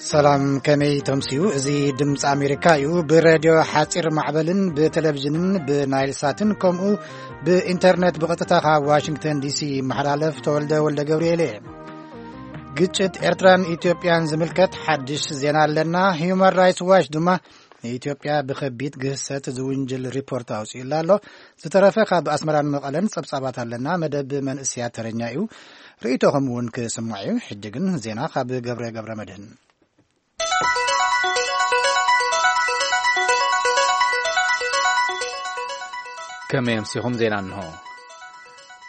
ሰላም፣ ከመይ ተምስዩ? እዚ ድምፂ ኣሜሪካ እዩ። ብሬድዮ ሓፂር ማዕበልን ብቴሌቪዥንን ብናይል ሳትን ከምኡ ብኢንተርኔት ብቐጥታ ካብ ዋሽንግተን ዲሲ ይመሓላለፍ። ተወልደ ወልደ ገብርኤል እየ። ግጭት ኤርትራን ኢትዮጵያን ዝምልከት ሓድሽ ዜና ኣለና። ሂዩማን ራይትስ ዋች ድማ ንኢትዮጵያ ብኸቢድ ግህሰት ዝውንጅል ሪፖርት ኣውፅኡላ ኣሎ። ዝተረፈ ካብ ኣስመራን መቐለን ጸብጻባት ኣለና። መደብ መንእስያ ተረኛ እዩ። ርእይቶኹም እውን ክስማዕ እዩ። ሕጂ ግን ዜና ካብ ገብረ ገብረ መድህን። ከመይ ኣምሲኹም? ዜና እንሆ።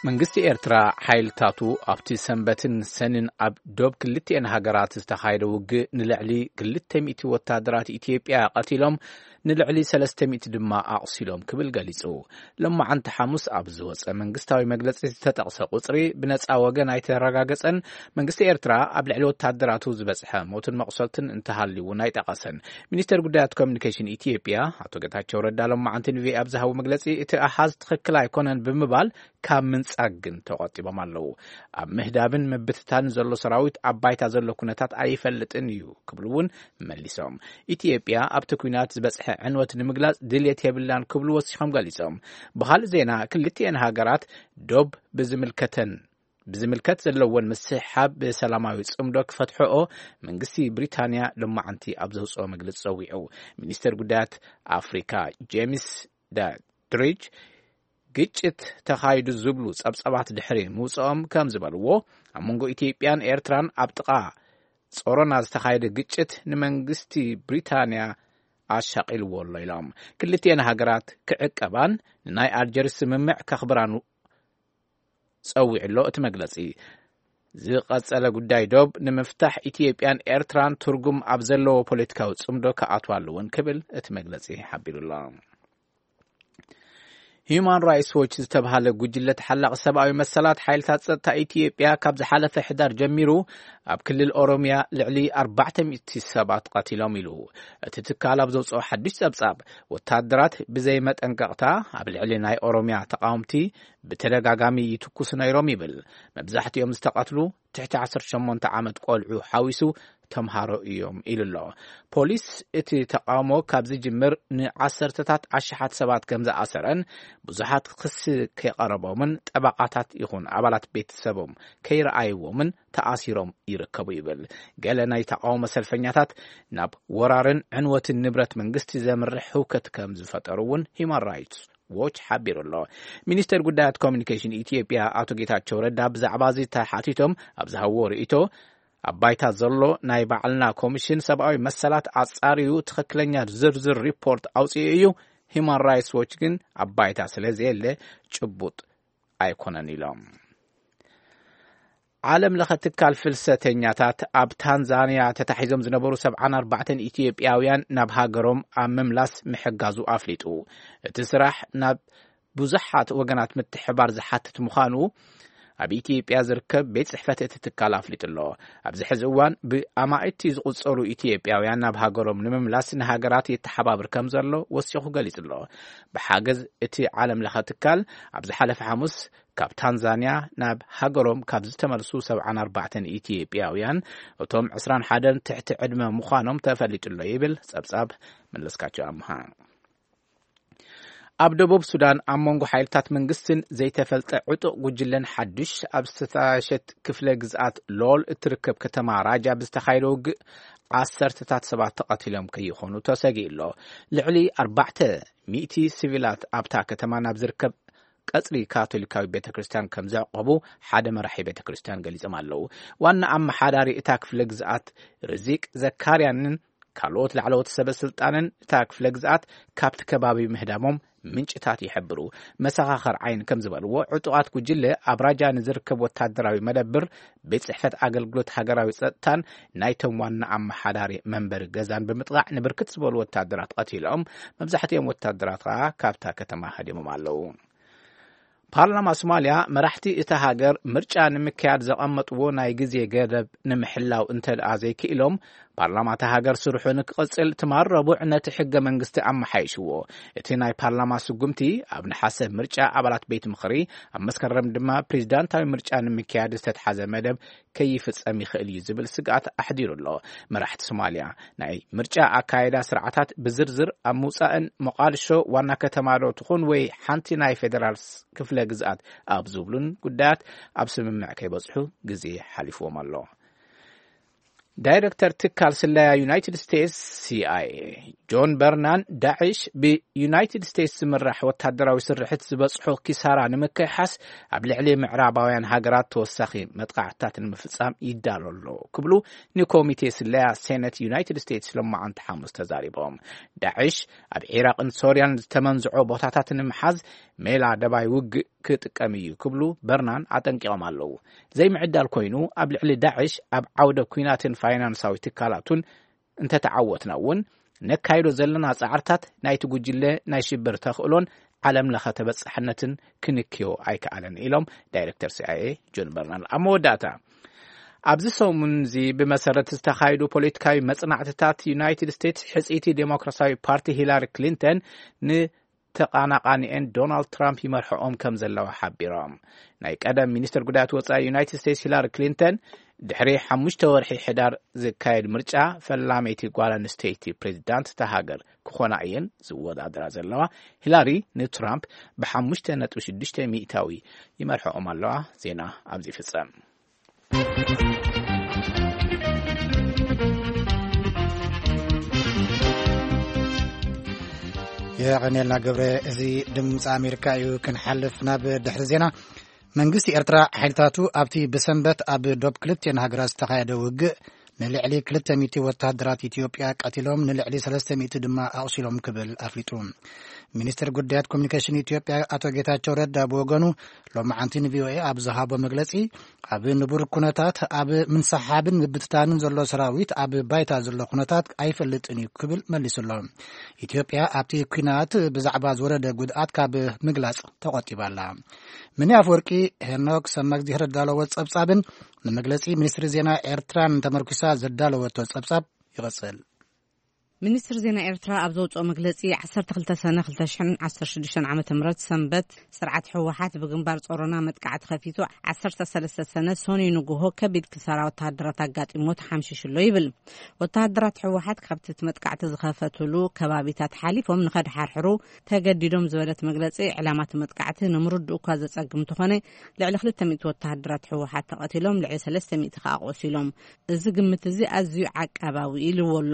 መንግስቲ ኤርትራ ሓይልታቱ ኣብቲ ሰንበትን ሰንን ኣብ ዶብ ክልቲኤን ሃገራት ዝተኻየደ ውግእ ንልዕሊ ክልተ ሚእቲ ወታደራት ኢትዮጵያ ቀቲሎም፣ ንልዕሊ ሰለስተ ሚእቲ ድማ ኣቑሲሎም ክብል ገሊጹ። ሎማዓንቲ ሓሙስ ኣብ ዝወጸ መንግስታዊ መግለጺ ዝተጠቕሰ ቁጽሪ ብነጻ ወገን ኣይተረጋገጸን። መንግስቲ ኤርትራ ኣብ ልዕሊ ወታደራቱ ዝበጽሐ ሞትን መቑሰልትን እንተሃልዩ እውን ኣይጠቐሰን። ሚኒስተር ጉዳያት ኮሚኒኬሽን ኢትዮጵያ ኣቶ ጌታቸው ረዳ ሎማዓንቲ ንቪኦኤ ኣብ ዝሃቦ መግለጺ፣ እቲ ኣሃዝ ትኽክል ኣይኮነን ብምባል፣ ካብ ምንጻግ ግን ተቖጢቦም ኣለዉ። ኣብ ምህዳብን ምብትታንን ዘሎ ሰራዊት ኣብ ባይታ ዘሎ ኩነታት ኣይፈልጥን እዩ ክብሉ እውን መሊሶም። ኢትዮጵያ ኣብቲ ኲናት ዝበጽሐ ዕንወት ንምግላጽ ድልየት የብላን ክብሉ ወሲኾም ገሊጾም። ብኻልእ ዜና፣ ክልቲኤን ሃገራት ዶብ ብዝምልከተን ብዝምልከት ዘለወን ምስሕሓብ ብሰላማዊ ጽምዶ ክፈትሕኦ መንግስቲ ብሪታንያ ሎማዓንቲ ኣብ ዘውጽኦ መግለጺ ጸዊዑ። ሚኒስተር ጉዳያት ኣፍሪካ ጄምስ ዳድሪጅ ግጭት ተኻይዱ ዝብሉ ጸብጻባት ድሕሪ ምውጽኦም ከም ዝበልዎ፣ ኣብ መንጎ ኢትዮጵያን ኤርትራን ኣብ ጥቓ ጾሮና ዝተኻየደ ግጭት ንመንግስቲ ብሪታንያ ኣሻቒልዎ ኣሎ ኢሎም። ክልቲኤን ሃገራት ክዕቀባን ንናይ ኣልጀርስ ስምምዕ ከኽብራን ጸዊዑ ኣሎ እቲ መግለጺ። ዝቐጸለ ጉዳይ ዶብ ንምፍታሕ ኢትዮጵያን ኤርትራን ትርጉም ኣብ ዘለዎ ፖለቲካዊ ጽምዶ ክኣትዋ ኣለወን ክብል እቲ መግለጺ ሓቢሩ ኣሎ። ሂዩማን ራይትስ ዎች ዝተባሃለ ጉጅለ ተሓላቒ ሰብኣዊ መሰላት፣ ሓይልታት ጸጥታ ኢትዮጵያ ካብ ዝሓለፈ ሕዳር ጀሚሩ ኣብ ክልል ኦሮምያ ልዕሊ ኣርባዕተ ሚእቲ ሰባት ቀቲሎም ኢሉ። እቲ ትካል ኣብ ዘውጽኦ ሓድሽ ጸብጻብ፣ ወታደራት ብዘይ መጠንቀቕታ ኣብ ልዕሊ ናይ ኦሮምያ ተቃወምቲ ብተደጋጋሚ ይትኩሱ ነይሮም ይብል። መብዛሕትኦም ዝተቐትሉ ትሕቲ ዓሰርተ ሸሞንተ ዓመት ቆልዑ ሓዊሱ ተምሃሮ እዮም ኢሉ ኣሎ። ፖሊስ እቲ ተቃውሞ ካብ ዝጅምር ንዓሰርተታት ኣሽሓት ሰባት ከም ዝኣሰረን ብዙሓት ክሲ ከይቀረቦምን ጠበቓታት ይኹን ኣባላት ቤተሰቦም ከይረኣይዎምን ተኣሲሮም ይርከቡ ይብል። ገለ ናይ ተቃውሞ ሰልፈኛታት ናብ ወራርን ዕንወትን ንብረት መንግስቲ ዘምርሕ ህውከት ከም ዝፈጠሩ እውን ሂዩማን ራይትስ ዎች ሓቢሩ ኣሎ። ሚኒስተር ጉዳያት ኮሚኒኬሽን ኢትዮጵያ ኣቶ ጌታቸው ረዳ ብዛዕባ እዚ ተሓቲቶም ኣብ ዝሃብዎ ርእይቶ፣ ኣብ ባይታ ዘሎ ናይ ባዕልና ኮሚሽን ሰብኣዊ መሰላት ኣጻርዩ ትኽክለኛ ዝርዝር ሪፖርት ኣውጽኡ እዩ። ሂዩማን ራይትስ ዎች ግን ኣብ ባይታ ስለ ዘየለ ጭቡጥ ኣይኮነን ኢሎም። ዓለም ለኸ ትካል ፍልሰተኛታት ኣብ ታንዛንያ ተታሒዞም ዝነበሩ ሰብዓን ኣርባዕተን ኢትዮጵያውያን ናብ ሃገሮም ኣብ ምምላስ ምሕጋዙ ኣፍሊጡ። እቲ ስራሕ ናብ ብዙሓት ወገናት ምትሕባር ዝሓትት ምዃኑ ኣብ ኢትዮጵያ ዝርከብ ቤት ጽሕፈት እቲ ትካል ኣፍሊጡ ኣሎ። ኣብዚ ሕዚ እዋን ብኣማኢቲ ዝቑጸሩ ኢትዮጵያውያን ናብ ሃገሮም ንምምላስ ንሃገራት የተሓባብር ከም ዘሎ ወሲኹ ገሊጹ ኣሎ። ብሓገዝ እቲ ዓለም ለኸ ትካል ኣብ ዝሓለፈ ሓሙስ ካብ ታንዛንያ ናብ ሃገሮም ካብ ዝተመልሱ ሰብዓን ኣርባዕተን ኢትዮጵያውያን፣ እቶም ዕስራን ሓደን ትሕቲ ዕድመ ምዃኖም ተፈሊጡ ኣሎ ይብል ጸብጻብ መለስካቸው ኣምሃ። ኣብ ደቡብ ሱዳን ኣብ መንጎ ሓይልታት መንግስትን ዘይተፈልጠ ዕጡቕ ጉጅለን ሓድሽ ኣብ ዝተጣየሸት ክፍለ ግዝኣት ሎል እትርከብ ከተማ ራጃ ብዝተኻየደ ውግእ ዓሰርተታት ሰባት ተቐቲሎም ከይኾኑ ተሰጊኡ ኣሎ። ልዕሊ ኣርባዕተ ሚእቲ ሲቪላት ኣብታ ከተማ ናብ ዝርከብ ቀጽሪ ካቶሊካዊ ቤተ ክርስቲያን ከም ዘዕቆቡ ሓደ መራሒ ቤተ ክርስቲያን ገሊጾም ኣለዉ። ዋና ኣመሓዳሪ እታ ክፍለ ግዝኣት ርዚቅ ዘካርያንን ካልኦት ላዕለዎት ሰበ ስልጣንን እታ ክፍለ ግዝኣት ካብቲ ከባቢ ምህዳሞም ምንጭታት ይሕብሩ። መሰኻኸር ዓይን ከም ዝበልዎ፣ ዕጡቓት ጉጅለ ኣብ ራጃ ንዝርከብ ወታደራዊ መደብር፣ ቤት ጽሕፈት ኣገልግሎት ሃገራዊ ጸጥታን ናይቶም ዋና ኣመሓዳሪ መንበሪ ገዛን ብምጥቓዕ ንብርክት ዝበሉ ወታደራት ቀቲሎም፣ መብዛሕትኦም ወታደራት ከኣ ካብታ ከተማ ሃዲሞም ኣለዉ። ፓርላማ ሶማልያ መራሕቲ እታ ሃገር ምርጫ ንምክያድ ዘቐመጥዎ ናይ ግዜ ገደብ ንምሕላው እንተ ደኣ ዘይክኢሎም፣ ፓርላማ እታ ሃገር ስርሑ ንክቕጽል ትማል ረቡዕ ነቲ ሕገ መንግስቲ ኣመሓይሽዎ። እቲ ናይ ፓርላማ ስጉምቲ ኣብ ነሓሰ ምርጫ ኣባላት ቤት ምኽሪ፣ ኣብ መስከረም ድማ ፕሬዚዳንታዊ ምርጫ ንምክያድ ዝተትሓዘ መደብ ከይፍጸም ይኽእል እዩ ዝብል ስግኣት ኣሕዲሩ ኣሎ። መራሕቲ ሶማልያ ናይ ምርጫ ኣካይዳ ስርዓታት ብዝርዝር ኣብ ምውጻእን ሞቓድሾ ዋና ከተማ ዶ ትኹን ወይ ሓንቲ ናይ ፌደራል ክፍለ ግዝኣት ኣብ ዝብሉን ጉዳያት ኣብ ስምምዕ ከይበጽሑ ግዜ ሓሊፍዎም ኣሎ። ዳይረክተር ትካል ስለያ ዩናይትድ ስቴትስ፣ ሲኣይኤ፣ ጆን በርናን፣ ዳዕሽ ብዩናይትድ ስቴትስ ዝምራሕ ወታደራዊ ስርሕት ዝበጽሖ ኪሳራ ንምክሕሓስ ኣብ ልዕሊ ምዕራባውያን ሃገራት ተወሳኺ መጥቃዕትታት ንምፍጻም ይዳሎ ኣሎ ክብሉ ንኮሚቴ ስለያ ሴነት ዩናይትድ ስቴትስ ሎማዓንቲ ሓሙስ ተዛሪቦም። ዳዕሽ ኣብ ዒራቕን ሶርያን ዝተመንዝዖ ቦታታት ንምሓዝ ሜላ ደባይ ውግእ ክጥቀም እዩ ክብሉ በርናን ኣጠንቂቖም ኣለዉ። ዘይምዕዳል ኮይኑ ኣብ ልዕሊ ዳዕሽ ኣብ ዓውደ ኲናትን ፋይናንሳዊ ትካላቱን እንተተዓወትና እውን ነካይዶ ዘለና ጻዕርታት ናይቲ ጉጅለ ናይ ሽብር ተኽእሎን ዓለም ለኸ ተበጻሕነትን ክንክዮ ኣይከኣለን ኢሎም ዳይረክተር ሲኣይኤ ጆን በርናን። ኣብ መወዳእታ ኣብዚ ሰሙን እዚ ብመሰረት ዝተኻየዱ ፖለቲካዊ መጽናዕትታት ዩናይትድ ስቴትስ ሕጽይቲ ዴሞክራሲያዊ ፓርቲ ሂላሪ ክሊንተን ን ተቓናቓኒኤን ዶናልድ ትራምፕ ይመርሕኦም ከም ዘለዋ ሓቢሮም። ናይ ቀደም ሚኒስትር ጉዳያት ወጻኢ ዩናይትድ ስቴትስ ሂላሪ ክሊንተን ድሕሪ ሓሙሽተ ወርሒ ሕዳር ዝካየድ ምርጫ ፈላመይቲ ጓል ኣንስተይቲ ፕሬዚዳንት እታ ሃገር ክኾና እየን ዝወዳደራ ዘለዋ። ሂላሪ ንትራምፕ ብሓሙሽተ ነጥቢ ሽዱሽተ ሚእታዊ ይመርሕኦም ኣለዋ። ዜና ኣብዚ ይፍጸም። የቐኔልና ገብረ። እዚ ድምፂ ኣሜሪካ እዩ። ክንሓልፍ ናብ ድሕሪ ዜና። መንግስቲ ኤርትራ ሓይልታቱ ኣብቲ ብሰንበት ኣብ ዶብ ክልቲኤን ሃገራት ዝተኻየደ ውግእ ንልዕሊ ክልተ ሚእቲ ወተሃደራት ኢትዮጵያ ቀቲሎም፣ ንልዕሊ ሰለስተ ሚእቲ ድማ ኣቑሲሎም ክብል ኣፍሊጡ። ሚኒስትር ጉዳያት ኮሚኒኬሽን ኢትዮጵያ ኣቶ ጌታቸው ረዳ ብወገኑ ሎማዓንቲ ንቪኦኤ ኣብ ዝሃቦ መግለጺ፣ ኣብ ንቡር ኩነታት ኣብ ምንስሓብን ምብትታንን ዘሎ ሰራዊት ኣብ ባይታ ዘሎ ኩነታት ኣይፈልጥን እዩ ክብል መሊሱ ኣሎ። ኢትዮጵያ ኣብቲ ኲናት ብዛዕባ ዝወረደ ጉድኣት ካብ ምግላጽ ተቖጢባ ኣላ። ምኒ ኣፍወርቂ ሄኖክ ሰማግዜር ዘዳለዎ ጸብጻብን ንመግለጺ ሚኒስትሪ ዜና ኤርትራን ተመርኩሳ ዘዳለወቶ ጸብጻብ ይቕጽል። ሚኒስትሪ ዜና ኤርትራ ኣብ ዘውጽኦ መግለጺ፣ ዓሰርተ ክልተ ሰነ ክልተ ሽሕን ዓሰርተ ሽዱሽተን ዓመተ ምህረት ሰንበት፣ ስርዓት ህወሓት ብግንባር ጾሮና መጥቃዕቲ ከፊቱ፣ ዓሰርተ ሰለስተ ሰነ ሰኑይ ንግሆ ከቢድ ክሳራ ወተሃደራት ኣጋጢሞ ተሓምሺሹ ኣሎ ይብል። ወተሃደራት ህወሓት ካብቲ እቲ መጥቃዕቲ ዝኸፈትሉ ከባቢታት ሓሊፎም ንኸድሓርሕሩ ተገዲዶም ዝበለት መግለጺ፣ ዕላማ እቲ መጥቃዕቲ ንምርድኡ እኳ ዘጸግም እንተኾነ፣ ልዕሊ ክልተ ሚእቲ ወተሃደራት ህወሓት ተቐቲሎም፣ ልዕሊ ሰለስተ ሚእቲ ከኣ ቆሲሎም። እዚ ግምት እዚ ኣዝዩ ዓቃባዊ ኢልዎ ኣሎ።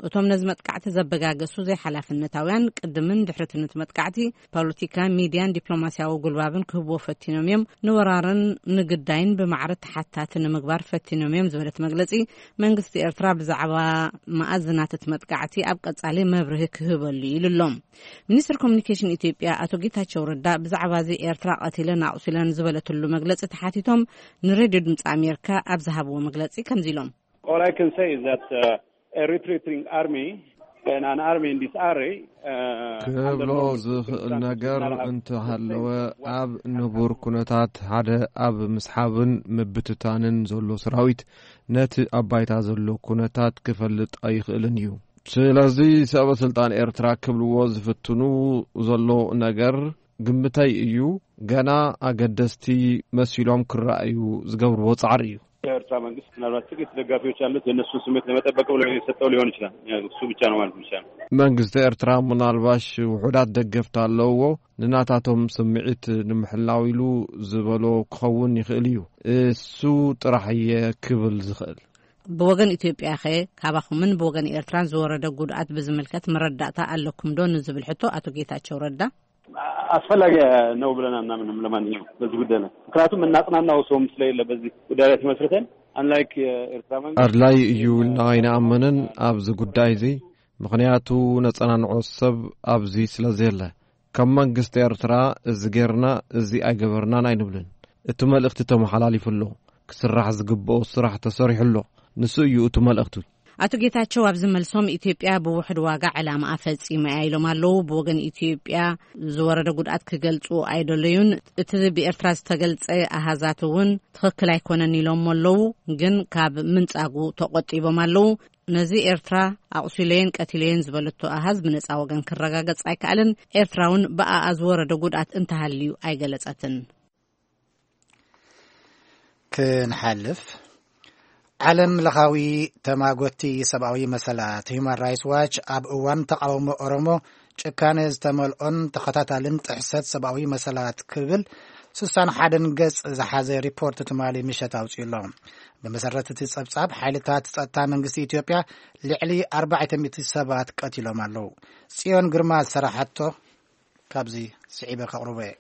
እቶም ነዚ መጥቃዕቲ ዘበጋገሱ ዘይሓላፍነታውያን፣ ቅድምን ድሕሪትን እቲ መጥቃዕቲ ፖለቲካ፣ ሚድያን ዲፕሎማስያዊ ጉልባብን ክህብዎ ፈቲኖም እዮም። ንወራርን ንግዳይን ብማዕረ ተሓታቲ ንምግባር ፈቲኖም እዮም ዝበለት መግለጺ፣ መንግስቲ ኤርትራ ብዛዕባ መኣዝናት እቲ መጥቃዕቲ ኣብ ቀጻሊ መብርሂ ክህበሉ ኢሉ ኣሎ። ሚኒስትር ኮሚኒኬሽን ኢትዮጵያ ኣቶ ጌታቸው ረዳ ብዛዕባ እዚ ኤርትራ ቀቲለን ኣቑሲለን ዝበለትሉ መግለጺ ተሓቲቶም ንሬድዮ ድምፂ ኣሜሪካ ኣብ ዝሃብዎ መግለጺ ከምዚ ኢሎም። All I can say is that, uh, a retreating army and an army in disarray, uh, under ክብሎ normal ዝኽእል circumstances ነገር not have እንተሃለወ፣ the same ኣብ ንቡር ኩነታት ሓደ ኣብ ምስሓብን ምብትታንን ዘሎ ሰራዊት ነቲ ኣብ ባይታ ዘሎ ኩነታት ክፈልጥ ኣይኽእልን እዩ። ስለዚ ሰበ ስልጣን ኤርትራ ክብልዎ ዝፍትኑ ዘሎ ነገር ግምተይ እዩ። ገና ኣገደስቲ መሲሎም ክረኣዩ ዝገብርዎ ጻዕሪ እዩ። የኤርትራ መንግስት ምናልባት ጥቂት ደጋፊዎች አሉት፣ የእነሱን ስሜት ለመጠበቅ ብሎ የሰጠው ሊሆን ይችላል። እሱ ብቻ ነው ማለት ይቻላል። መንግስቲ ኤርትራ ምናልባሽ ውሑዳት ደገፍቲ ኣለውዎ፣ ንናታቶም ስምዒት ንምሕላው ኢሉ ዝበሎ ክኸውን ይኽእል እዩ። እሱ ጥራሕ እየ ክብል ዝኽእል። ብወገን ኢትዮጵያ ኸ ካባኹምን ብወገን ኤርትራን ዝወረደ ጉድኣት ብዝምልከት መረዳእታ ኣለኩም ዶ ንዝብል ሕቶ ኣቶ ጌታቸው ረዳ፣ ኣስፈላጊ ነው ብለን አናምንም። ለማንኛውም በዚህ ጉዳይ ላይ፣ ምክንያቱም እናጽናናው ሰውም ስለሌለ በዚህ ጉዳይ ላይ ተመስርተን፣ አንላይክ የኤርትራ መንግስት፣ አድላይ እዩ ኢልና ኣይንኣምንን ኣብዚ ጉዳይ እዚ፣ ምኽንያቱ ነጸናንዖ ሰብ ኣብዚ ስለ ዘየለ። ከም መንግስቲ ኤርትራ እዚ ጌርና፣ እዚ ኣይገበርናን ኣይንብልን። እቲ መልእኽቲ ተመሓላሊፉ ኣሎ። ክስራሕ ዝግብኦ ስራሕ ተሰሪሑ ኣሎ። ንሱ እዩ እቲ መልእኽቱ። ኣቶ ጌታቸው ኣብዚ መልሶም፣ ኢትዮጵያ ብውሕድ ዋጋ ዕላማኣ ፈጺማ እያ ኢሎም ኣለዉ። ብወገን ኢትዮጵያ ዝወረደ ጉድኣት ክገልጹ ኣይደለዩን። እቲ ብኤርትራ ዝተገልጸ ኣሃዛት እውን ትኽክል ኣይኮነን ኢሎም ኣለዉ፣ ግን ካብ ምንጻጉ ተቖጢቦም ኣለዉ። ነዚ ኤርትራ ኣቑሲለየን ቀቲለየን ዝበለቶ ኣሃዝ ብነጻ ወገን ክረጋገጽ ኣይከኣለን። ኤርትራ እውን ብኣኣ ዝወረደ ጉድኣት እንተሃልዩ ኣይገለጸትን። ክንሓልፍ፣ ዓለም ለኻዊ ተማጎቲ ሰብኣዊ መሰላት ሂዩማን ራይትስ ዋች ኣብ እዋን ተቃውሞ ኦሮሞ ጭካነ ዝተመልኦን ተኸታታልን ጥሕሰት ሰብኣዊ መሰላት ክብል ስሳን ሓደን ገጽ ዝሓዘ ሪፖርት ትማሊ ምሸት ኣውጺኡ ኣሎ። ብመሰረት እቲ ጸብጻብ፣ ሓይልታት ጸጥታ መንግስቲ ኢትዮጵያ ልዕሊ ኣርባዕተ ሚእቲ ሰባት ቀቲሎም ኣለዉ። ጽዮን ግርማ ዝሰራሓቶ ካብዚ ስዒበ ከቕርቦ እየ።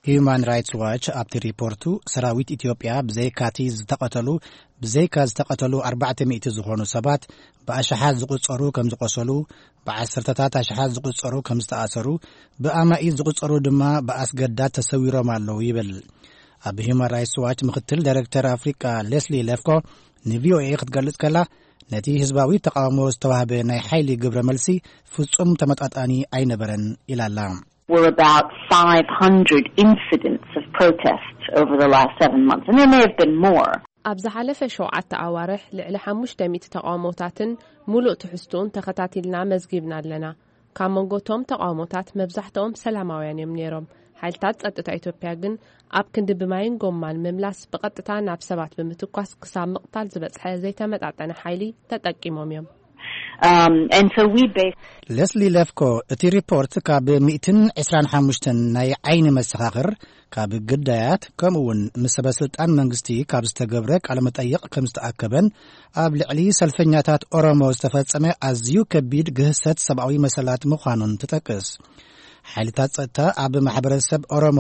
ሂዩማን ራይትስ ዋች ኣብቲ ሪፖርቱ፣ ሰራዊት ኢትዮጵያ ብዘይካቲ ዝተቐተሉ ብዘይካ ዝተቐተሉ ኣርባዕተ ሚእቲ ዝኾኑ ሰባት፣ ብኣሽሓት ዝቑጸሩ ከም ዝቆሰሉ፣ ብዓሰርተታት ኣሽሓት ዝቑጸሩ ከም ዝተኣሰሩ፣ ብኣማኢት ዝቑጸሩ ድማ ብኣስገዳድ ተሰዊሮም ኣለዉ ይብል። ኣብ ሂዩማን ራይትስ ዋች ምክትል ዳይሬክተር ኣፍሪቃ ሌስሊ ሌፍኮ ንቪኦኤ ክትገልጽ ከላ፣ ነቲ ህዝባዊ ተቃውሞ ዝተዋህበ ናይ ሓይሊ ግብረ መልሲ ፍጹም ተመጣጣኒ ኣይነበረን ኢላላ። Were about five hundred incidents of protest over the last seven months, and there may have been more. ኣብ ዝሓለፈ ሸውዓተ ኣዋርሕ ልዕሊ ሓሙሽተ ሚእቲ ተቓውሞታትን ሙሉእ ትሕዝትኡን ተኸታቲልና መዝጊብና ኣለና። ካብ መንጎቶም ተቓውሞታት መብዛሕትኦም ሰላማውያን እዮም ነይሮም። ሓይልታት ጸጥታ ኢትዮጵያ ግን ኣብ ክንዲ ብማይን ጎማን ምምላስ፣ ብቐጥታ ናብ ሰባት ብምትኳስ ክሳብ ምቕታል ዝበጽሐ ዘይተመጣጠነ ሓይሊ ተጠቂሞም እዮም። Um, and so we base ለስሊ ለፍኮ፣ እቲ ሪፖርት ካብ ሚእትን ዕስራን ሓሙሽተን ናይ ዓይኒ መሰኻኽር፣ ካብ ግዳያት፣ ከምኡ እውን ምስ ሰበስልጣን መንግስቲ ካብ ዝተገብረ ቃለ መጠይቕ ከም ዝተኣከበን ኣብ ልዕሊ ሰልፈኛታት ኦሮሞ ዝተፈጸመ ኣዝዩ ከቢድ ግህሰት ሰብኣዊ መሰላት ምዃኑን ትጠቅስ። ሓይልታት ጸጥታ ኣብ ማሕበረሰብ ኦሮሞ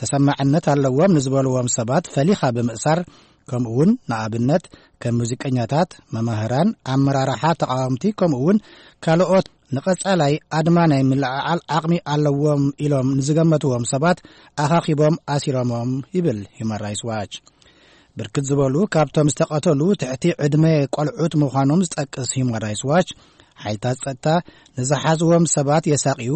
ተሰማዕነት ኣለዎም ንዝበልዎም ሰባት ፈሊኻ ብምእሳር፣ ከምኡ እውን ንኣብነት ከም ሙዚቀኛታት፣ መማህራን፣ ኣመራርሓ ተቓወምቲ፣ ከምኡ እውን ካልኦት ንቐጻላይ ኣድማ ናይ ምልዕዓል ዓቕሚ ኣለዎም ኢሎም ንዝገመትዎም ሰባት ኣኻኺቦም ኣሲሮሞም ይብል ሂዩማን ራይትስ ዋች። ብርክት ዝበሉ ካብቶም ዝተቐተሉ ትሕቲ ዕድመ ቆልዑት ምዃኖም ዝጠቅስ ሂዩማን ራይትስ ዋች፣ ሓይልታት ጸጥታ ንዝሓዝዎም ሰባት የሳቕዩ፣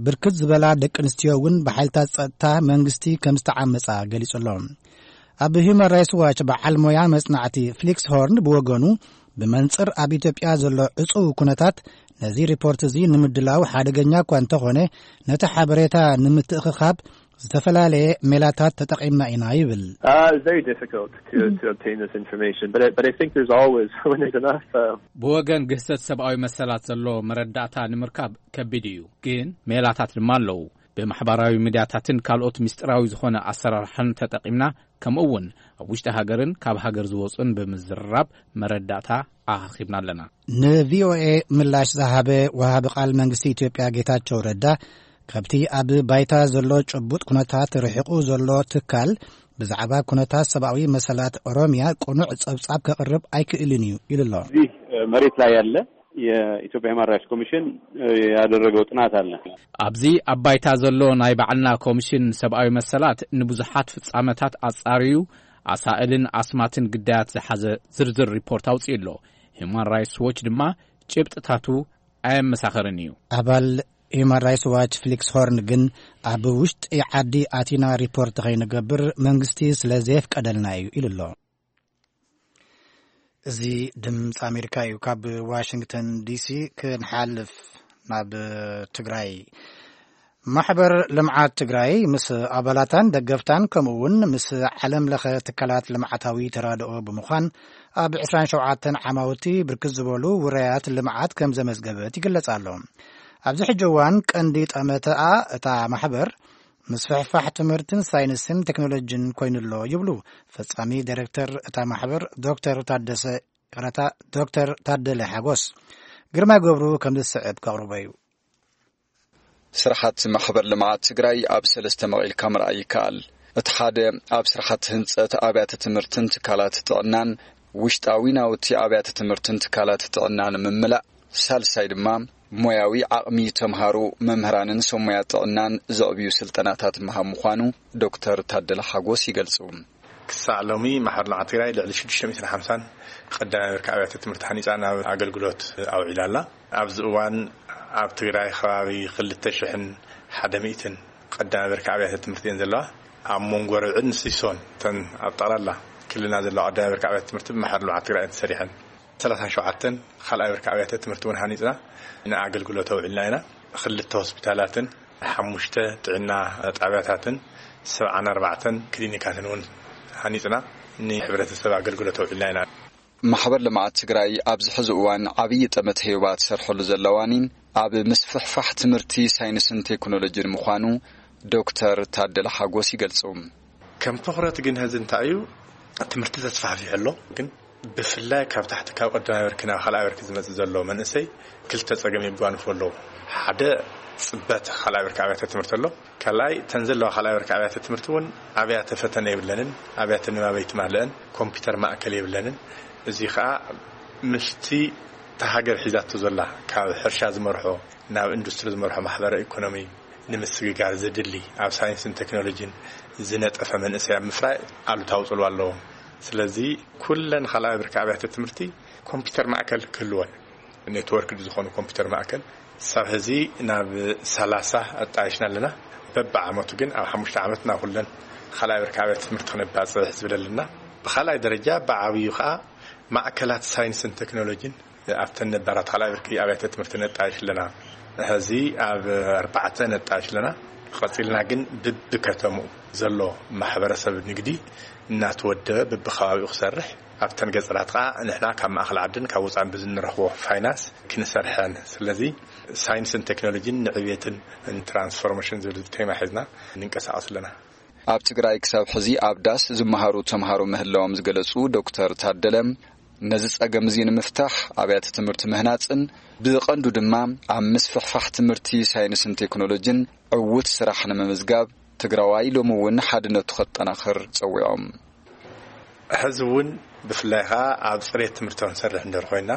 ብርክት ዝበላ ደቂ ኣንስትዮ እውን ብሓይልታት ጸጥታ መንግስቲ ከም ዝተዓመጻ ገሊጹ ኣሎ። ኣብ ሂዩማን ራይትስ ዋች በዓል ሞያ መጽናዕቲ ፍሊክስ ሆርን ብወገኑ፣ ብመንጽር ኣብ ኢትዮጵያ ዘሎ ዕጹው ኩነታት ነዚ ሪፖርት እዚ ንምድላው ሓደገኛ እኳ እንተኾነ፣ ነቲ ሓበሬታ ንምትእኽኻብ ዝተፈላለየ ሜላታት ተጠቒምና ኢና ይብል። Uh, it's very difficult to, to obtain this information, but I, but I think there's always, when there's enough. Uh, ብወገን ግህሰት ሰብኣዊ መሰላት ዘሎ መረዳእታ ንምርካብ ከቢድ እዩ፣ ግን ሜላታት ድማ ኣለዉ። ብማሕበራዊ ሚድያታትን ካልኦት ምስጢራዊ ዝኾነ ኣሰራርሓን ተጠቒምና፣ ከምኡ እውን ኣብ ውሽጢ ሃገርን ካብ ሃገር ዝወፁን ብምዝርራብ መረዳእታ ኣኻኺብና ኣለና። ንቪኦኤ ምላሽ ዝሃበ ወሃቢ ቃል መንግስቲ ኢትዮጵያ ጌታቸው ረዳ፣ ካብቲ ኣብ ባይታ ዘሎ ጭቡጥ ኩነታት ርሒቑ ዘሎ ትካል ብዛዕባ ኩነታት ሰብኣዊ መሰላት ኦሮሚያ ቅኑዕ ጸብጻብ ከቕርብ ኣይክእልን እዩ ኢሉ ኣሎ። እዚህ መሬት ላይ ያለ የኢትዮጵያ ሂውማን ራይትስ ኮሚሽን ያደረገው ጥናት አለ። ኣብዚ ኣብ ባይታ ዘሎ ናይ ባዕልና ኮሚሽን ሰብኣዊ መሰላት ንብዙሓት ፍጻመታት ኣጻርዩ፣ ኣሳእልን ኣስማትን ግዳያት ዝሓዘ ዝርዝር ሪፖርት ኣውጺኡ ኣሎ። ሂውማን ራይትስ ዎች ድማ ጭብጥታቱ ኣየመሳኸርን እዩ። ኣባል ሂውማን ራይትስ ዋች ፍሊክስ ሆርን ግን፣ ኣብ ውሽጢ ዓዲ ኣቲና ሪፖርት ከይንገብር መንግስቲ ስለ ዘየፍቀደልና እዩ ኢሉ ኣሎ። እዚ ድምፂ ኣሜሪካ እዩ። ካብ ዋሽንግተን ዲሲ ክንሓልፍ ናብ ትግራይ። ማሕበር ልምዓት ትግራይ ምስ ኣባላታን ደገፍታን ከምኡ እውን ምስ ዓለም ለኸ ትካላት ልምዓታዊ ተራድኦ ብምዃን ኣብ ዕስራን ሸውዓተን ዓማውቲ ብርክት ዝበሉ ውራያት ልምዓት ከም ዘመዝገበት ይግለጽ ኣሎ። ኣብዚ ሕጂ እዋን ቀንዲ ጠመተኣ እታ ማሕበር ምስፍሕፋሕ ትምህርትን ሳይንስን ቴክኖሎጂን ኮይኑ ኣሎ ይብሉ ፈጻሚ ዳይሬክተር እታ ማሕበር ዶክተር ታደሰ ይቕረታ፣ ዶክተር ታደለ ሓጎስ። ግርማይ ገብሩ ከም ዝስዕብ ከቕርቦ እዩ። ስራሓት ማሕበር ልምዓት ትግራይ ኣብ ሰለስተ መቒልካ ምርኣይ ይከኣል። እቲ ሓደ ኣብ ስራሓት ህንፀት ኣብያተ ትምህርትን ትካላት ጥዕናን ውሽጣዊ ናውቲ ኣብያተ ትምህርትን ትካላት ጥዕናን ምምላእ፣ ሳልሳይ ድማ ሞያዊ ዓቕሚ ተምሃሮ፣ መምህራንን ሰብ ሞያ ጥዕናን ዘዕብዩ ስልጠናታት ምሃብ ምዃኑ ዶክተር ታደለ ሓጎስ ይገልጹ። ክሳዕ ሎሚ ማሕበር ልምዓት ትግራይ ልዕሊ ሽዱሽተ ሚእትን ሓምሳን ቀዳማይ ብርኪ ኣብያተ ትምህርቲ ሓኒፃ ናብ ኣገልግሎት ኣውዒላ ኣላ። ኣብዚ እዋን ኣብ ትግራይ ከባቢ ክልተ ሽሕን ሓደ ሚእትን ቀዳማይ ብርኪ ኣብያተ ትምህርቲ እየን ዘለዋ። ኣብ መንጎ ርብዕን ሲሶን እተን ኣብ ጠቕላላ ክልልና ዘለዋ ቀዳማይ ብርኪ ኣብያተ ትምህርቲ ብማሕበር ልምዓት ትግራይ እየን ተሰሪሐን። ሰላሳን ሸውዓተን ካልኣይ ብርኪ ኣብያተ ትምህርቲ እውን ሃኒፅና ንኣገልግሎት ኣውዒልና ኢና። ክልተ ሆስፒታላትን ሓሙሽተ ጥዕና ጣብያታትን ሰብዓን ኣርባዕተን ክሊኒካትን እውን ሃኒፅና ንሕብረተሰብ ኣገልግሎት ኣውዒልና ኢና። ማሕበር ልምዓት ትግራይ ኣብዚ ሕዚ እዋን ዓብዪ ጠመተ ሄባ ትሰርሐሉ ዘለዋኒ ኣብ ምስፍሕፋሕ ትምህርቲ ሳይንስን ቴክኖሎጂን ምዃኑ ዶክተር ታደለ ሓጎስ ይገልጹ። ከም ትኹረት ግን ሕዚ እንታይ እዩ፣ ትምህርቲ ተስፋሕፊሑ ኣሎ፣ ግን ብፍላይ ካብ ታሕቲ ካብ ቀዳማይ ብርኪ ናብ ካልኣይ ብርኪ ዝመጽእ ዘሎ መንእሰይ ክልተ ጸገም የጓንፎ ኣለዉ። ሓደ ጽበት ካልኣይ ብርኪ ኣብያተ ትምህርቲ ኣሎ። ካልኣይ እተን ዘለዋ ካልኣይ ብርኪ ኣብያተ ትምህርቲ እውን ኣብያተ ፈተነ የብለንን፣ ኣብያተ ንባብ ኣይትማልአን፣ ኮምፒውተር ማእከል የብለንን። እዚ ኸኣ ምስቲ እታ ሃገር ሒዛቶ ዘላ ካብ ሕርሻ ዝመርሖ ናብ ኢንዱስትሪ ዝመርሖ ማሕበረ ኢኮኖሚ ንምስግጋር ዘድሊ ኣብ ሳይንስን ቴክኖሎጂን ዝነጠፈ መንእሰይ ኣብ ምፍራይ ኣሉታዊ ጽልዋ ኣለዎ። ስለዚ ኩለን ካልኣይ ብርኪ ኣብያተ ትምህርቲ ኮምፒውተር ማእከል ክህልወን፣ ኔትወርክ ዝኾኑ ኮምፒውተር ማእከል ሳብ ሕዚ ናብ ሰላሳ ኣጣይሽና ኣለና። በብዓመቱ ግን ኣብ ሓሙሽተ ዓመት ናብ ኩለን ካልኣይ ብርኪ ኣብያተ ትምህርቲ ክነባጽሕ ዝብል ኣለና። ብኻልኣይ ደረጃ ብዓብዩ ኸኣ ማእከላት ሳይንስን ቴክኖሎጂን ኣብተን ነባራት ካልኣይ ብርኪ ኣብያተ ትምህርቲ ነጣይሽ ኣለና። ሕዚ ኣብ ኣርባዕተ ነጣይሽ ኣለና። ቀጺልና ግን ብብከተምኡ ዘሎ ማሕበረሰብ ንግዲ እናተወደበ ብብኸባቢኡ ክሰርሕ፣ ኣብተን ገጠራት ኸኣ ንሕና ካብ ማእኸል ዓድን ካብ ወጻእን ብዝንረኽቦ ፋይናንስ ክንሰርሐን። ስለዚ ሳይንስን ቴክኖሎጂን ንዕብየትን ንትራንስፎርሜሽን ዝብል ቴማ ሒዝና ንንቀሳቐስ ኣለና። ኣብ ትግራይ ክሳብ ሕዚ ኣብ ዳስ ዝመሃሩ ተምሃሮ ምህላዎም ዝገለጹ ዶክተር ታደለ፣ ነዚ ጸገም እዚ ንምፍታሕ ኣብያተ ትምህርቲ ምህናጽን ብቐንዱ ድማ ኣብ ምስፍሕፋሕ ትምህርቲ ሳይንስን ቴክኖሎጂን ዕዉት ስራሕ ንምምዝጋብ ትግራዋይ ሎሚ እውን ሓድነቱ ከጠናኽር ጸዊዖም። ሕዚ እውን ብፍላይ ኸኣ ኣብ ጽሬት ትምህርቲ ክንሰርሕ እንድሕር ኮይና፣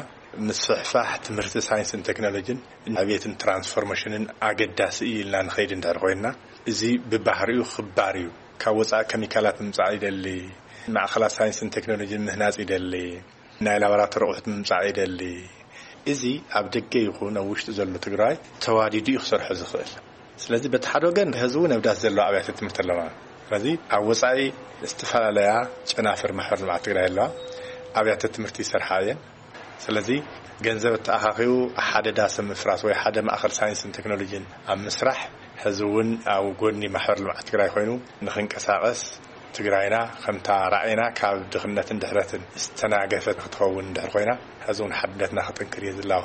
ምስፍሕፋሕ ትምህርቲ ሳይንስን ቴክኖሎጂን ዕብየትን ትራንስፎርሜሽንን ኣገዳሲ እዩ ኢልና ንኸይድ እንድሕር ኮይና፣ እዚ ብባህሪኡ ክባር እዩ። ካብ ወጻኢ ኬሚካላት ምምጻእ ይደሊ፣ ማእኸላት ሳይንስን ቴክኖሎጂን ምህናጽ ይደሊ፣ ናይ ላቦራቶሪ ኣቑሑት ምምጻእ ይደሊ። እዚ ኣብ ደገ ይኹን ኣብ ውሽጢ ዘሎ ትግራይ ተዋዲዱ እዩ ክሰርሖ ዝኽእል። ስለዚ በቲ ሓደ ወገን ሕዚ እውን ኣብ ዳስ ዘለዋ ኣብያተ ትምህርቲ ኣለዋ። ስለዚ ኣብ ወጻኢ ዝተፈላለያ ጨናፍር ማሕበር ልምዓት ትግራይ ኣለዋ፣ ኣብያተ ትምህርቲ ይሰርሓ እየን። ስለዚ ገንዘብ ተኣኻኺቡ ሓደ ዳስ ምፍራስ ወይ ሓደ ማእኸል ሳይንስን ቴክኖሎጂን ኣብ ምስራሕ ሕዚ እውን ኣብ ጎኒ ማሕበር ልምዓት ትግራይ ኮይኑ ንኽንቀሳቐስ ትግራይና ከምታ ራዕይና ካብ ድኽነትን ድሕረትን ዝተናገፈት ክትኸውን እንድሕር ኮይና፣ ሕዚ እውን ሓድነትና ክጥንክር እየ ዝላቦ።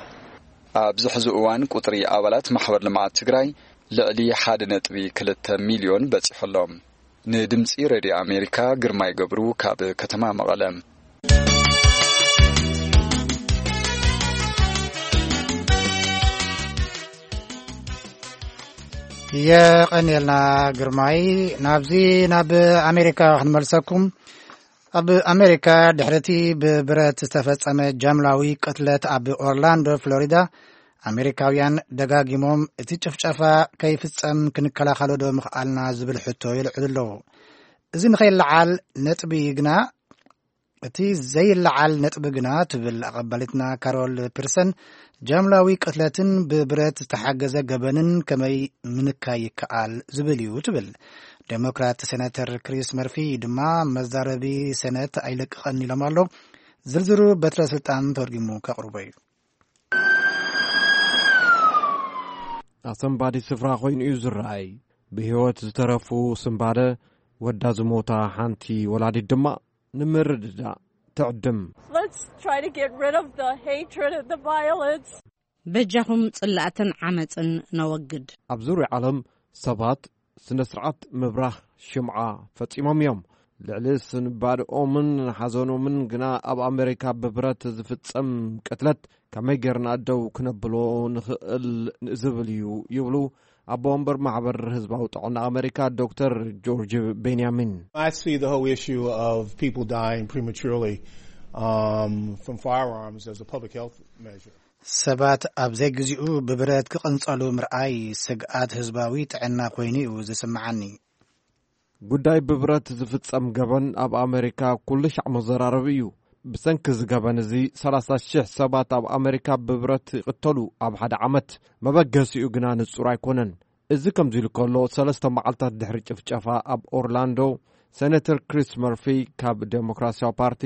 ኣብዚ ሕዚ እዋን ቁጽሪ ኣባላት ማሕበር ልምዓት ትግራይ ልዕሊ ሓደ ነጥቢ ክልተ ሚልዮን በጺሑ ኣሎ። ንድምጺ ሬድዮ ኣሜሪካ ግርማይ ገብሩ ካብ ከተማ መቐለ። የቐንየልና ግርማይ። ናብዚ ናብ ኣሜሪካ ክንመልሰኩም። ኣብ ኣሜሪካ ድሕሪ እቲ ብብረት ዝተፈጸመ ጃምላዊ ቅትለት ኣብ ኦርላንዶ ፍሎሪዳ፣ ኣሜሪካውያን ደጋጊሞም እቲ ጭፍጨፋ ከይፍጸም ክንከላኸሎ ዶ ምኽኣልና ዝብል ሕቶ የልዕሉ ኣለዉ። እዚ ንኸይለዓል ነጥቢ ግና እቲ ዘይለዓል ነጥቢ ግና ትብል ኣቐባሊትና ካሮል ፒርሰን፣ ጃምላዊ ቅትለትን ብብረት ዝተሓገዘ ገበንን ከመይ ምንካይ ይከኣል ዝብል እዩ ትብል። ዴሞክራት ሴናተር ክሪስ መርፊ ድማ መዛረቢ ሴነት ኣይለቅቐን ኢሎም ኣሎ። ዝርዝሩ በትረ ስልጣን ተወርጊሙ ከቕርቦ እዩ። ኣሰንባዲ ስፍራ ኮይኑ እዩ ዝረኣይ። ብህይወት ዝተረፉ ስንባደ፣ ወዳ ዝሞታ ሓንቲ ወላዲት ድማ ንምርድዳእ ትዕድም። Let's try to get rid of the hatred and the violence. በጃኹም ጽላእትን ዓመጽን ነወግድ። ኣብ ዙርያ ዓለም ሰባት ስነ ስርዓት ምብራህ ሽምዓ ፈጺሞም እዮም። ልዕሊ ስንባድኦምን ሓዘኖምን ግና ኣብ ኣሜሪካ ብብረት ዝፍጸም ቅትለት ከመይ ጌርና ደው ክነብሎ ንኽእል ዝብል እዩ ይብሉ ኣቦ ወንበር ማሕበር ህዝባዊ ጥዕና ኣሜሪካ ዶክተር ጆርጅ ቤንያሚን። I see the whole issue of people dying prematurely, um, from firearms as a public health measure. ሰባት ኣብ ዘይግዚኡ ብብረት ክቕንጸሉ ምርኣይ ስግኣት ህዝባዊ ጥዕና ኮይኑ እዩ ዝስምዓኒ። ጉዳይ ብብረት ዝፍጸም ገበን ኣብ ኣሜሪካ ኩሉ ሻዕ መዘራረቢ እዩ። ብሰንኪ እዚ ገበን እዚ ሰላሳ ሽሕ ሰባት ኣብ ኣሜሪካ ብብረት ይቕተሉ ኣብ ሓደ ዓመት። መበገሲኡ ግና ንጹር ኣይኮነን። እዚ ከምዚ ኢሉ ከሎ፣ ሰለስተ መዓልታት ድሕሪ ጭፍጨፋ ኣብ ኦርላንዶ፣ ሴኔተር ክሪስ መርፊ ካብ ዴሞክራሲያዊ ፓርቲ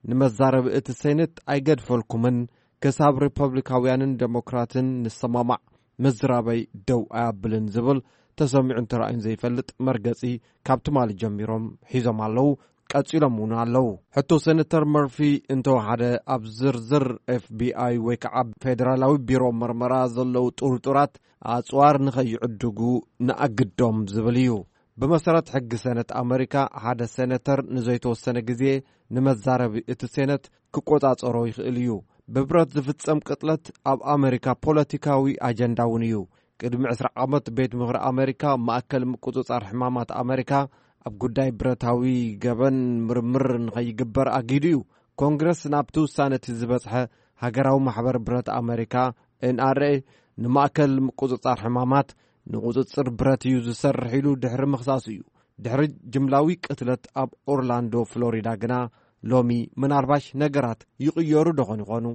ንመዛረቢ እቲ ሴኔት ኣይገድፈልኩምን፣ ክሳብ ሪፐብሊካውያንን ዴሞክራትን ንሰማማዕ ምዝራበይ ደው ኣያብልን ዝብል ተሰሚዑን ተራእዩን ዘይፈልጥ መርገጺ ካብ ትማሊ ጀሚሮም ሒዞም ኣለዉ። ቀጺሎም እውን ኣለዉ። ሕቶ ሴነተር መርፊ እንተወሓደ፣ ኣብ ዝርዝር ኤፍቢኣይ ወይ ከዓ ፌደራላዊ ቢሮ መርመራ ዘለዉ ጥርጡራት ኣጽዋር ንኸይዕድጉ ንኣግዶም ዝብል እዩ። ብመሰረት ሕጊ ሴነት ኣመሪካ፣ ሓደ ሴነተር ንዘይተወሰነ ግዜ ንመዛረቢ እቲ ሴነት ክቆጻጸሮ ይኽእል እዩ። ብብረት ዝፍጸም ቅጥለት ኣብ ኣመሪካ ፖለቲካዊ ኣጀንዳ እውን እዩ። ቅድሚ ዕስራ ዓመት ቤት ምኽሪ ኣመሪካ ማእከል ምቁጽጻር ሕማማት ኣመሪካ ኣብ ጉዳይ ብረታዊ ገበን ምርምር ንኸይግበር ኣጊዱ እዩ። ኮንግረስ ናብቲ ውሳነ እቲ ዝበጽሐ ሃገራዊ ማሕበር ብረት ኣመሪካ፣ ኤንኣርኤ፣ ንማእከል ምቁጽጻር ሕማማት ንቁጽጽር ብረት እዩ ዝሰርሕ ኢሉ ድሕሪ ምኽሳሱ እዩ። ድሕሪ ጅምላዊ ቅትለት ኣብ ኦርላንዶ ፍሎሪዳ ግና ሎሚ ምናልባሽ ነገራት ይቕየሩ ዶ ኾን ይኾኑ?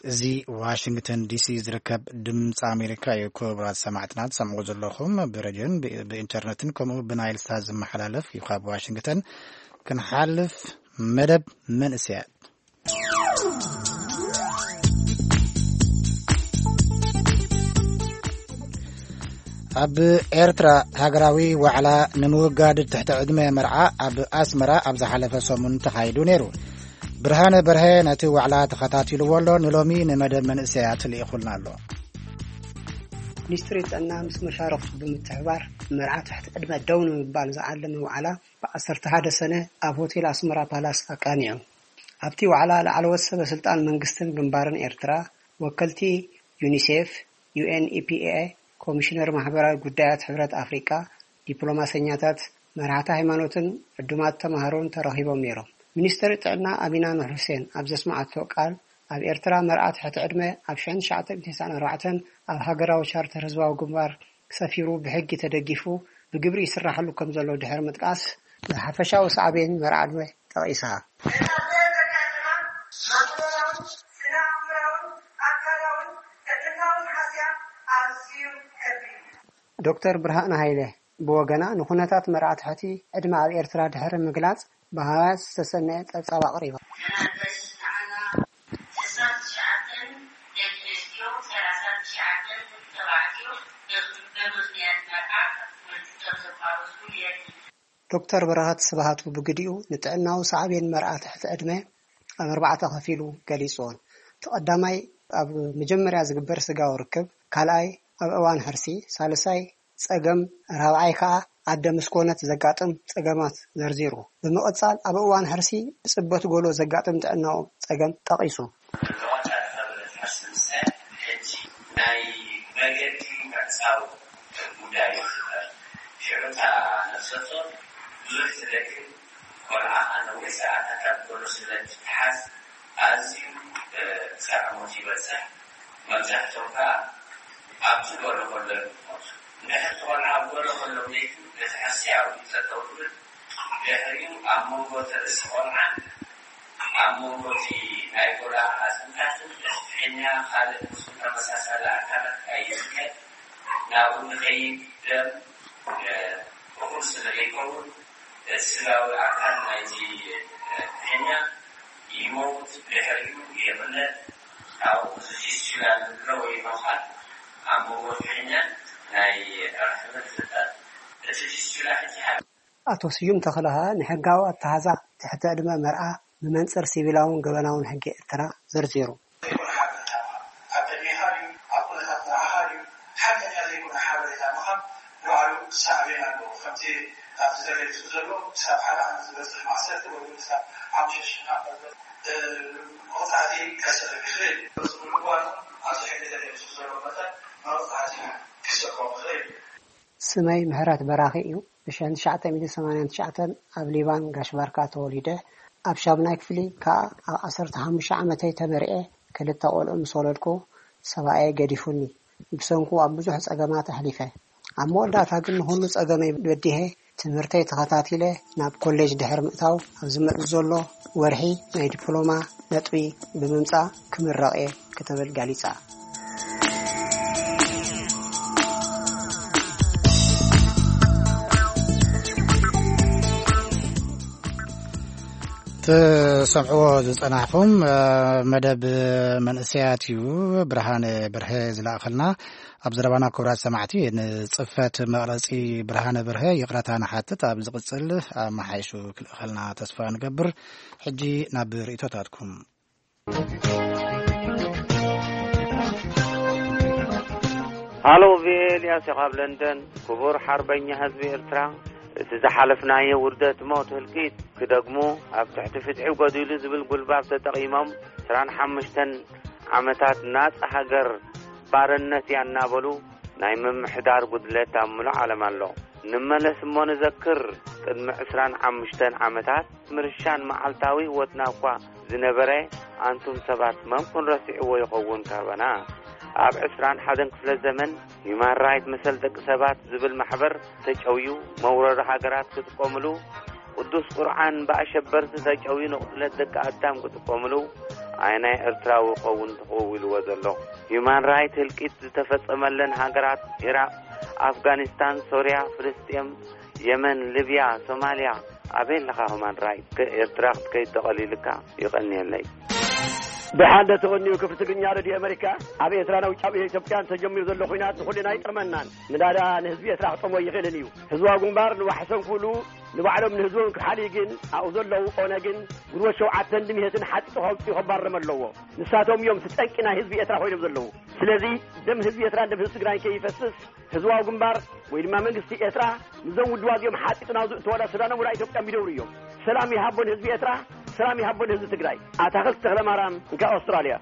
እዚ ዋሽንግተን ዲሲ ዝርከብ ድምፂ ኣሜሪካ እዩ። ክቡራት ሰማዕትና ትሰምዑ ዘለኹም ብሬድዮን ብ- ብኢንተርነትን ከምኡ ብናይል ሳት ዝመሓላለፍ እዩ። ካብ ዋሽንግተን ክንሓልፍ መደብ መንእሰያት። ኣብ ኤርትራ ሃገራዊ ዋዕላ ንምውጋድ ትሕቲ ዕድመ መርዓ ኣብ ኣስመራ ኣብ ዝሓለፈ ሰሙን ተኻይዱ ነይሩ። ብርሃነ በርሀ ነቲ ዋዕላ ተኸታቲልዎ ኣሎ፣ ንሎሚ ንመደብ መንእሰያት ልኢኹልና ኣሎ። ሚኒስትሪ ጥዕና ምስ መሻርኽቱ ብምትሕባር መርዓ ትሕቲ ዕድመ ደው ንምባል ዝዓለመ ዋዕላ ብ ዓሰርተ ሓደ ሰነ ኣብ ሆቴል ኣስመራ ፓላስ ኣቃኒዑ። ኣብቲ ዋዕላ ላዕለዎት ሰበ ስልጣን መንግስትን ግንባርን ኤርትራ፣ ወከልቲ ዩኒሴፍ፣ ዩኤንኢፒኤ፣ ኮሚሽነር ማሕበራዊ ጉዳያት ሕብረት ኣፍሪቃ፣ ዲፕሎማሰኛታት፣ መራሕቲ ሃይማኖትን ዕዱማት ተማሃሮን ተረኺቦም ነይሮም። ሚኒስትር ጥዕና ኣሚና ኑር ሁሴን ኣብ ዘስመዓቶ ቃል፣ ኣብ ኤርትራ መርዓ ትሕቲ ዕድመ ኣብ ሽሕን ትሽዓተ ሚእትን ተስዓን ኣርባዕተን ኣብ ሃገራዊ ቻርተር ህዝባዊ ግንባር ሰፊሩ ብሕጊ ተደጊፉ ብግብሪ ይስራሓሉ ከም ዘሎ ድሕሪ ምጥቃስ፣ ንሓፈሻዊ ሳዕቤን መርዓ ዕድመ ጠቒሳ። ዶክተር ብርሃነ ሃይለ ብወገና፣ ንኹነታት መርዓ ትሕቲ ዕድመ ኣብ ኤርትራ ድሕሪ ምግላጽ፣ ብሃዋያት ዝተሰነየ ጸብጻብ ኣቕሪባ። ዶክተር በረኸት ስብሃቱ ብግዲኡ፣ ንጥዕናዊ ሳዕቤን መርዓ ትሕቲ ዕድመ ኣብ ኣርባዕተ ከፊሉ ገሊጽዎን። እቲ ቀዳማይ ኣብ መጀመርያ ዝግበር ስጋዊ ርክብ፣ ካልኣይ ኣብ እዋን ሕርሲ፣ ሳልሳይ ጸገም፣ ራብዓይ ከኣ ኣደ ምስ ኮነት ዘጋጥም ጸገማት ዘርዚሩ። ብምቕጻል ኣብ እዋን ሕርሲ ብጽበት ጎሎ ዘጋጥም ጥዕናዊ ጸገም ጠቒሱ። ናይ መገዲ ምዕጻው ጉዳይ ይፍጠር። ሽዑ እታ ነፍሰ ጡር ብዙሕ ትደክም፣ ቆልዓ ከኣ ነዊሕ ሰዓታት ኣብ ጎሎ ስለ እትተሓዝ ኣዝዩ ክሳዕ ሞት ይበጽሕ። መብዛሕቶም ከኣ ኣብቲ ጎሎ ጎሎ እዮም ዝሞቱ። እንድሕር እቲ ቆልዓ ኣብ ጎሎ ጎሎ ለይቲ በቲ ሕርሲ ኣብኡ ጠጠው ይብል። ድሕሪኡ ኣብ መንጎ እቲ ርእሲ ቆልዓን ኣብ መንጎ እቲ ናይ ጎላ ኣጽንታትን እቲ ፍሕኛ ካልእ ምስኡ ተመሳሳሊ ኣካላት ኣይዝከድ ናብኡ ንኸይድ ደም እኹል ስለ ዘይከውን እቲ ስጋዊ ኣካል ናይቲ ፍሕኛ ይመውት፣ ድሕሪኡ ይቕለጥ። ካብኡ እዚ ፊስቹላ ንብሎ ወይ ነዃል ኣብ መንጎ ፍሕኛን ናይ ራሕምን ይፍጠር። እቲ ፊስቹላ ሕጂ ሓ- ኣቶ ስዩም ተኽለኸ ንሕጋዊ ኣተሓዛ ትሕተ ዕድመ መርዓ ብመንጽር ሲቪላውን ገበናውን ሕጊ ኤርትራ ዘርዚሩ። ዘይኮነ ሓበሬታ ምሃብ። ኣብ ቅድሜኻ ድዩ? ኣብ ኩነታት መርዓኻ ድዩ? ሓቀኛ ዘይኮነ ሓበሬታ ምሃብ ንባዕሉ ሳዕቤን ኣለዎ። ከምቲ ኣብቲ ተገሊጹ ዘሎ፣ ክሳብ ሓደ ዓመት ዝበጽሕ ማእሰርቲ ወይ እውን ክሳብ ሓሙሽተ ሽሕ ናቕፋ ዝበጽሕ፣ እ፣ መቕጻዕቲ ከስዕብ ይኽእል። በዚ ብምግባሩ፣ ኣብዚ ሕጊ ተገሊጹ ዘሎ መጠን መቕጻዕቲ ክስዕቦም ይኽእል። ስመይ ምሕረት በራኺ እዩ። ብሽሕን ትሽዓተ ሚእትን ሰማንያን ትሽዓተን ኣብ ሊባን ጋሽ ባርካ ተወሊደ። ኣብ ሻምናይ ክፍሊ ከኣ ኣብ ዓሰርተ ሓሙሽተ ዓመተይ ተመርዔ፣ ክልተ ቆልዑ ምስ ወለድኩ ሰብኣየይ ገዲፉኒ። ብሰንኩ ኣብ ብዙሕ ጸገማት ኣሕሊፈ። ኣብ መወዳእታ ግን ንኹሉ ጸገመይ በዲሀ ትምህርተይ ተኸታቲለ ናብ ኮሌጅ ድሕሪ ምእታው፣ ኣብ ዝመጽእ ዘሎ ወርሒ ናይ ዲፕሎማ ነጥቢ ብምምጻእ ክምረቕ እየ ክትብል ገሊጻ። ትሰምዕዎ ዝጸናሕኹም፣ እ፣ መደብ መንእሰያት እዩ። ብርሃነ በርሀ ዝለኣኸልና ኣብ ዘረባና። ክቡራት ሰማዕቲ፣ ንጽፈት መቕረጺ ብርሃነ በርሀ ይቕረታ ንሓትት። ኣብ ዝቕጽል ኣመሓይሹ ክልእኸልና ተስፋ ንገብር። ሕጂ ናብ ርእይቶታትኩም። ሃሎ፣ ቪኦኤ፣ ኤልያስ ካብ ለንደን። ክቡር ሓርበኛ ህዝቢ ኤርትራ፣ እቲ ዝሓለፍናዮ ውርደት፣ ሞት፣ ህልቂት ክደግሙ፣ ኣብ ትሕቲ ፍትሒ ጎዲሉ ዝብል ጉልባብ ተጠቒሞም፣ ዕስራን ሓሙሽተን ዓመታት ናጻ ሃገር ባርነት እያ እናበሉ ናይ ምምሕዳር ጉድለት ኣብ ምሉእ ዓለም ኣሎ። ንመለስ እሞ ንዘክር፣ ቅድሚ ዕስራን ሓሙሽተን ዓመታት ምርሻን መዓልታዊ ህይወትና እኳ ዝነበረ፣ ኣንቱም ሰባት መን ኩን ረሲዕዎ ይኸውን ካባና? ኣብ ዕስራን ሓደን ክፍለ ዘመን ሂዩማን ራይት መሰል ደቂ ሰባት ዝብል ማሕበር ተጨውዩ፣ መውረሪ ሃገራት ክጥቀምሉ፣ ቅዱስ ቁርዓን ብኣሸበርቲ ተጨውዩ ንቕትለት ደቂ ኣዳም ክጥቀምሉ፣ ኣየናይ ኤርትራዊ ይኸውን ተኸዊልዎ ዘሎ? ሂዩማን ራይት ህልቂት ዝተፈጸመለን ሃገራት ኢራቕ፣ ኣፍጋኒስታን፣ ሶርያ፣ ፍልስጤም፣ የመን፣ ሊብያ፣ ሶማልያ፣ ኣበይ ኣለኻ? ሂዩማን ራይት ከ-፣ ኤርትራ ክትከይድ ተቐሊልካ። ይቐንየለይ። ብሓንደ ተቐንዩ ክፍሊ ትግርኛ ሬድዮ ኣመሪካ፣ ኣብ ኤርትራ ናብ ውጫዊ ኢትዮጵያን ተጀሚሩ ዘሎ ኹናት ንኹልና ኣይጠቕመናን። ምናዳ ንህዝቢ ኤርትራ ክጠቕሞ ይኽእልን እዩ። ህዝባዊ ግንባር ንዋሕሰን ኩሉ ንባዕሎም ንህዝቦም ክሓልዩ ግን ኣብኡ ዘለዉ ኦነግን ግንቦት ሸውዓተን ድምሄትን ሓጢጡ ከውፅኡ ከባረም ኣለዎ። ንሳቶም እዮም እቲ ጠንቂ ናይ ህዝቢ ኤርትራ ኮይኖም ዘለዉ። ስለዚ ደም ህዝቢ ኤርትራን ደም ህዝቢ ትግራይን ከይፈስስ ህዝባዊ ግንባር ወይ ድማ መንግስቲ ኤርትራ ንዞም ውድባት እዚኦም ሓጢጡ ናብ ዝእተወላ ሱዳኖም ወላ ኢትዮጵያ ሚደውሩ እዮም። ሰላም ይሃቦ ንህዝቢ ኤርትራ፣ ሰላም ይሃቦ ንህዝቢ ትግራይ። ኣታኽልቲ ተኽለ ማርያም፣ እንካ ኣውስትራልያ።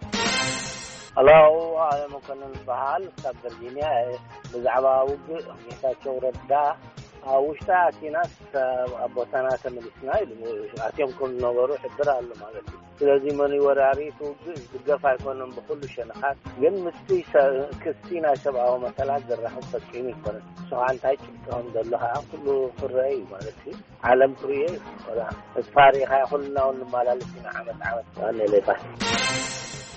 ሄሎ፣ ኣለ መኮንን በሃል ካብ ቨርጂኒያ እየ። ብዛዕባ ውግእ ጌታቸው ረዳ ኣብ ውሽጢ ኣቲናስ ኣብ ቦታና ተመሊስና ኢሉ። ኣትዮም ከም ዝነበሩ ይሕብር ኣሎ ማለት እዩ። ስለዚ መን እዩ ወራሪ እቲ ውግእ ዝድገፍ ኣይኮነን ብኩሉ ሸነኻት። ግን ምስቲ ሰ-፣ ክስቲ ናይ ሰብኣዊ መሰላት ዘራኽብ ፈጺሙ ይኮነን። ንሱ ከዓ እንታይ ጭብጢ ከም ዘሎ ከዓ ኩሉ ክረአ እዩ ማለት እዩ። ዓለም ክርእዮ እዩ። ወላ ተስፋ ርኢኻ ኩልና እውን ንመላለስ ኢና ዓመት ዓመት። ዋኔ ሌባ።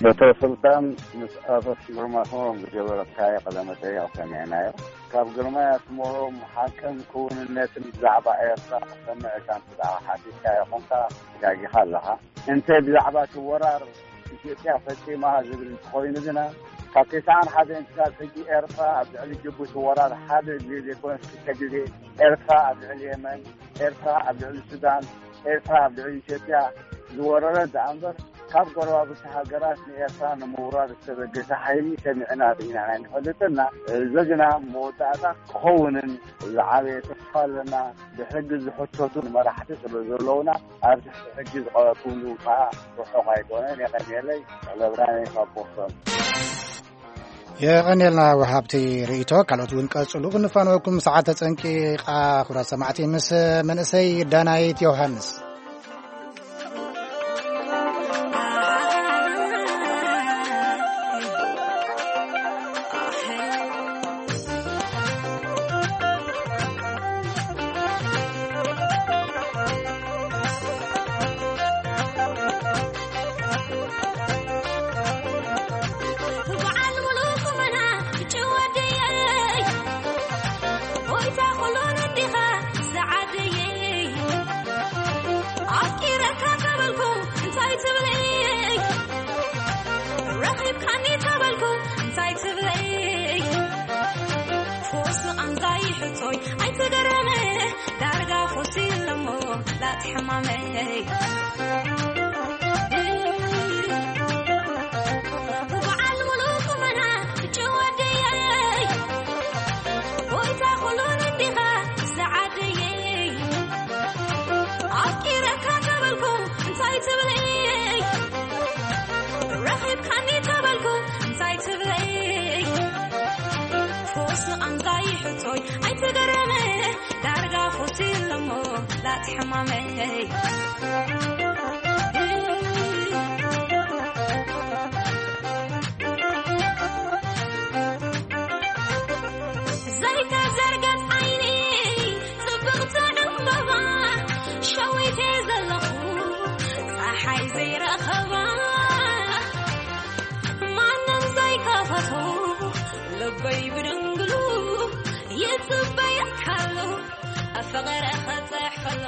ዶክተር ሱልጣን ምስ ኣቶ ግርማ ስመሮም ዝገበረካዮ ቃለ መጠይቕ ሰሚዕናዮ። ካብ ግርማይ ኣስመሮም ሓቅን ክውንነትን ብዛዕባ ኤርትራ ክሰምዕ እካ እንተ ደኣ ሓቲትካዮ ኾንካ ተጋጊኻ ኣለኻ። እንተ ብዛዕባ እቲ ወራር ኢትዮጵያ ፈጺማ ዝብል እንተኾይኑ ግና፣ ካብ ተስዓን ሓደን ክሳብ ሕጂ ኤርትራ ኣብ ልዕሊ ጅቡቲ ወራር ሓደ ግዜ ዘይኮነስ ክልተ ግዜ፣ ኤርትራ ኣብ ልዕሊ የመን፣ ኤርትራ ኣብ ልዕሊ ሱዳን፣ ኤርትራ ኣብ ልዕሊ ኢትዮጵያ ዝወረረት ደኣ እምበር፣ ካብ ጎረባብቲ ሃገራት ንኤርትራ ንምውራር ዝተበገሰ ሓይሊ ሰሚዕና ርኢና ኣይንፈልጥና። እዚ ግና መወዳእታ ክኸውንን ዝዓበየ ተስፋ ኣለና። ብሕጊ ዝሕተቱ መራሕቲ ስለ ዘለውና፣ ኣብ ትሕቲ ሕጊ ዝቐረብኩምሉ ከዓ ርሑቕ ኣይኮነን። የቐንየለይ። ተኽለ ብርሃነ ካብ ቦስተን። የቐንየልና ወሃብቲ ርእይቶ። ካልኦት እውን ቀጽሉ። ክንፋነወኩም፣ ሰዓት ተጸንቂቓ። ክቡራት ሰማዕቲ፣ ምስ መንእሰይ ዳናይት ዮሃንስ። በዓል ሙሉእ ቁመና ብጭወደየይ፣ ጎይታ ኩሉን እንዲኻ ዝዓደየይ። ኣፍቂረካ ተበልኩ እንታይ ትብለይ? ረኺብካኒ ተበልኩ እንታይ ትብለይ? ፈውሲ ቃንዛይ ሕቶይ ኣይትገረመ፣ ዳርጋ ፈውሲ ኣለሞ ላቲ ሕማመይ። በዓል ሙሉእ ቁመና ብጭወደየይ፣ ጎይታ ኩሉን እንዲኻ ዝዓደየይ። ኣፍቂረካ ተበልኩ እንታይ ትብለይ? ረኺብካኒ ተበልኩ እንታይ ትብለይ? ፈውሲ ቃንዛይ ሕቶይ ኣይትገረመ፣ ዳርጋ ፈውሲ ኣለሞ ላቲ ሕማመይ። ዘይተዘርገት ዓይኒ ጽብቕቲ ዕምበባ፣ ሸዊተ ዘለኹ ጸሓይ ዘይረኸባ፣ ማንም ዘይከፈቶ ልበይ ብድንግሉ ይጽበየካሉ፣ ፍቕሪ ክጽሕፈሉ።